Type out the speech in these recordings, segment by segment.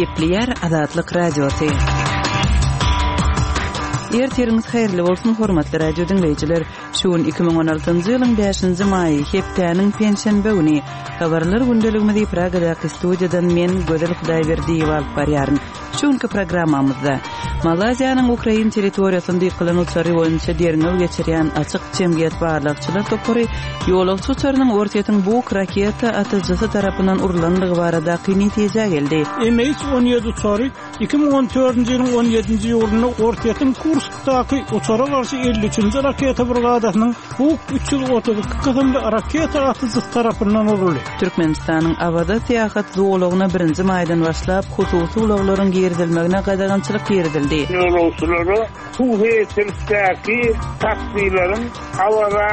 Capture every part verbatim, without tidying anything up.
Gepleýär Azatlyk Radiosy. Ertiriňiz haýyrly bolsun, hormatly radio diňleýjiler. Şu gün iki müň on altynjy ýylyň bäşinji maýy, hepdäniň penşenbe güni. Habarlar gündeligimizi Pragadaky studiýadan men, Gözel Hudaýberdiýewa alyp barýaryn. Şu günki programmamyzda Malaýziýanyň Ukrain territoriýasynda ýykylan uçary boýunça derňew geçirýän açyk jemgyýet barlagçylar topary ýolagçy uçarynyň Orsýetiň Buk raketa atyjysy tarapyndan urlandygy baradaky netijä geldi. M H on ýedi uçary iki müň on dördünji ýylyň on ýedinji iýulynda Orsýetiň Kurskdaky uçara garşy elli üçünji raketa brigadasynyň Buk üç ýüz otuz iki kysymly raketa atyjysy tarapyndan uruldy. Türkmenistanyň Awaza syýahat zolagyna birinji maýdan başlap hususy ulaglaryň girizilmegine gadagançylyk girizildi. Ýolagçylara suw heýkelindäki taksileriň Awaza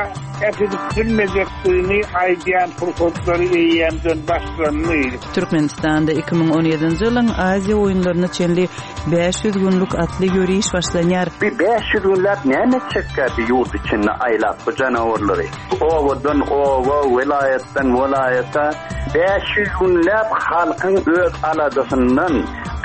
äkidip bilmejekdigini aýdýan pursatlary eýýämden başlandy. Türkmenistanda iki müň on ýedinji ýylyň Aziýa oýunlaryna çenli bäş ýüz günlük atly ýöriş başlanýar. Bir bäş ýüz günläp näme etjekkä bir ýurt içinde aýlap bu janawarlary? Owadan owa, welaýatdan welaýata bäş ýüz günläp halkyň öz aladasyndan,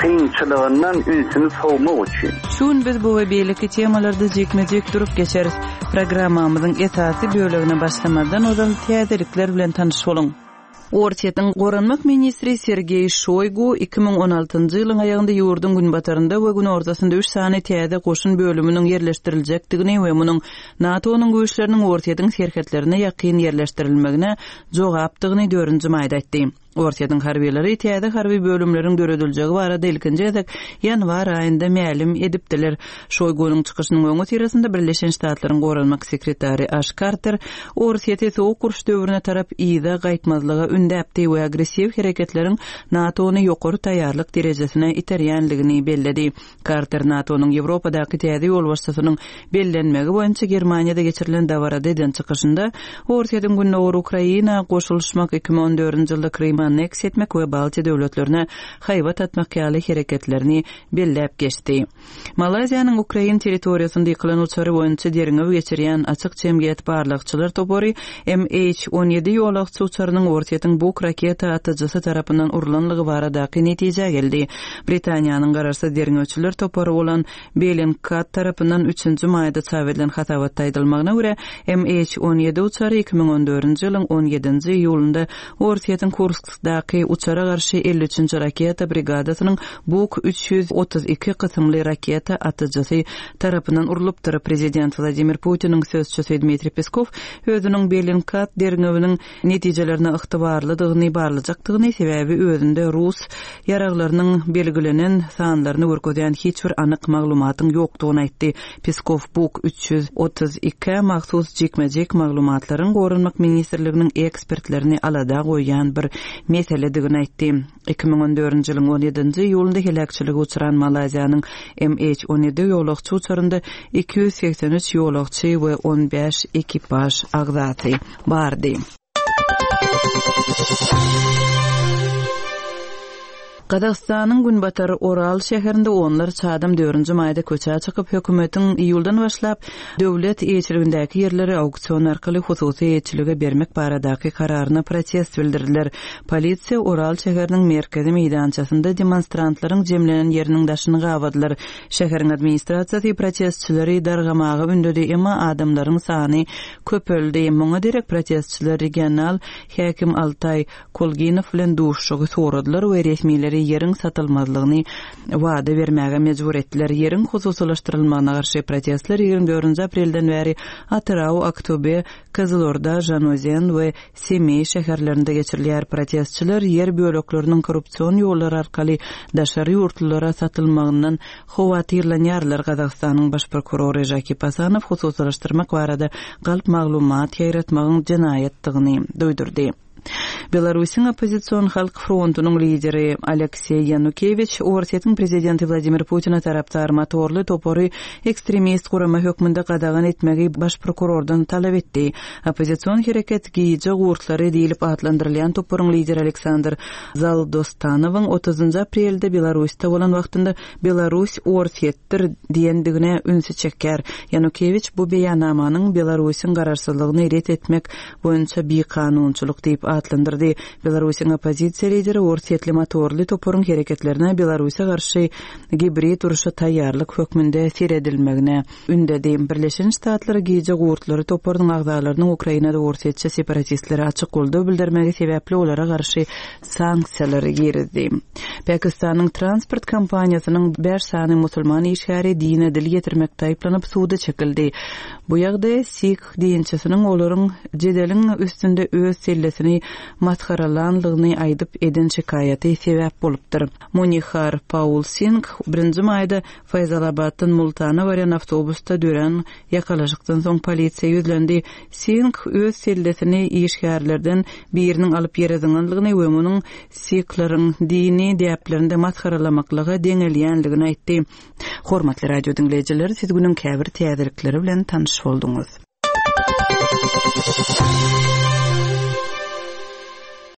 kynçylygyndan ünsüni sowmak üçin. Şu gün biz bu we beýleki temalarda jikme-jik durup geçeris. Programmamyzyň esasy bölegine başlamadan ozal täzelikler bilen tanyş boluň. Orsýetiň Goranmak ministri Sergeý Şoýgu iki müň on altynjy ýylyň aýagynda ýurduň günbatarynda we günortasynda üç sany täze goşun bölüminiň ýerleşdiriljekdigini we munuň NATO-nyň güýçleriniň Orsýetiň serhetlerine ýakyn ýerleşdirilmegine jogapdygyny dördünji maýda aýtdy. Orsýetiň harbylary täze harby bölümleriň dörediljegi barada ilkinji gezek ýanwar aýynda mälim edipdiler. Şoýgunyň çykyşynyň öňi syrasynda Birleşen Ştatlaryň Goranmak sekretary Aş Karter Orsýeti soğuk uruş döwrüne tarap yza gaýtmazlyga ündäpdi we agressiw hereketleriň NATO-ny ýokary taýýarlyk derejesine iterýänligini belledi. Karter NATO-nyň Ýewropadaky täze ýolbaşçysynyň bellenmegi boýunça Germaniýada geçirilen dabarada eden çykyşynda Orsýetiň Gündogar Ukraina goşulyşmak iki müň on dördünji ýylda Kryma anneksiýa etmek we Baltiýa döwletlerine haýbat atmak ýaly hereketlerini belläp geçdi. Malaýziýanyň Ukrain territoriýasynda ýykylan uçary boýunça derňew geçirýän açyk jemgyýet barlagçylar topary M H on ýedi ýolagçy uçarynyň Orsýetiň Buk raketa atyjysy tarapyndan urlanlygy baradaky netijä geldi. Britaniýanyň garaşsyz derňewçiler topary bolan Bellingcat tarapyndan üçünji maýda çap edilen hasabatda aýdylmagyna görä M H on ýedi uçary iki müň on dördünji ýylyň on ýedinji iýulynda Orsýetiň Kurskdaky uçara garşy elli üçünji raketa brigadasynyň Buk üç ýüz otuz iki kysymly raketa atyjysy tarapyndan urlupdyr. Prezident Wladimir Putiniň sözçüsi Dmitriý Peskov özüniň Bellingcat derňewiniň netijelerine ygtybarlydygyny barlajakdygyny, sebäbi özünde rus ýaraglarynyň belgilenen sanlaryny görkezýän hiç bir anyk maglumatyň ýokdugyny aýtdy. Peskov Buk üç ýüz otuz iki mahsus jikme-jik maglumatlaryň Goranmak ministrliginiň ekspertlerini alada goýýan bir meseledigini aýtdy. Iki müň on dördünji ýylyň on ýedinji iýulynda heläkçilige uçran Malaýziýanyň M H on ýedi ýolagçy uçarynda iki ýüz segsen üç ýolagçy we on bäş ekipaž agzasy bardy. Gazagystanyň Günbatar Oral şäherinde onlarça adam dördünji maýda köçä çykyp, hökümetiň iýuldan başlap döwlet eýeçiligindäki ýerleri auksion arkaly hususy eýeçilige bermek baradaky kararyna protest bildirdiler. Polisiýa Oral şäheriniň merkezi meýdançasynda demonstrantlaryň jemlenen ýeriniň daşyny gabadylar. Şäheriň administrasiýasy protestçileri dargamaga ündedi, emma adamlaryň sany köpeldi. Muňa derek protestçiler regional häkim Altay Kolginow bilen duşuşygy soradylar we resmileri ýeriň satylmazlygyny wada bermäge mejbur etdiler. Ýeriň hususylaşdyrylmagyna garşy protestler ýigrimi dördünji aprelden bäri Atyrau, Aktobe, Kyzylorda, Žanozen we Semey şäherlerinde geçirilýär. Protestçiler ýer bölekleriniň korrupsion ýollar arkaly daşary ýurtlulara satylmagyndan howatyrlanýarlar. Gazagystanyň baş prokurory Žakip Asanow hususylaşdyrmak barada galp maglumat ýaýratmagyň jenaýatdygyny duýdurdy. Belarusyň oppozision halk frontunyň lideri Aleksey Yanukewiç Orsýetiň prezidenti Wladimir Putina tarapdar motorly topary ekstremist gurama hökmünde gadagan etmegi baş prokurordan talap etdi. Oppozision hereket gije gurtlary diýilip atlandyrylýan toparyň lideri Aleksandr Zaldostanowyň otuzynjy aprelde Belarusda bolan wagtynda Belarus Orsýetdir diýendigine ünsi çeker. Yanukewiç bu beýannamanyň Belarusyň garaşsyzlygyny ret etmek boýunça bikanunçylyk diýip atlandyrdy. aýyplady. Belarusyň oppozisiýa lideri orsýetli motorly toparyň hereketlerine Belarusa garşy gibrid urşa taýýarlyk hökmünde seredilmegine ündedi. Birleşen Ştatlar Gije gurtlary toparynyň agzalarynyň Ukrainada orsýetçi separatistlere açyk goldaw bildirmegi sebäpli olara garşy sanksiýalary girizdi. Pakistanyň transport kompaniýasynyň bäş sany musulman işgäri dine dil ýetirmekde aýyplanyp suda çekildi. Bu ýagdaý sikh dinçisiniň olaryň jedeliň üstünde öz sellesini masgaralanlygyny aýdyp eden şikaýaty sebäp bolupdyr. Munihar Paul Singh birinji maýda Faýzalabatdan Multana barýan awtobusda dörän ýakalaşykdan soň polisiýa ýüzlendi. Singh öz sellesini işgärlerden biriniň alyp ýere zyňanlygyny we munuň sikhleriň dini däplerinde masgaralamaklyga deňelýänligini aýtdy. Hormatly radio diňleýjiler, siz günüň käbir täzelikleri bilen tanyş bolduňyz.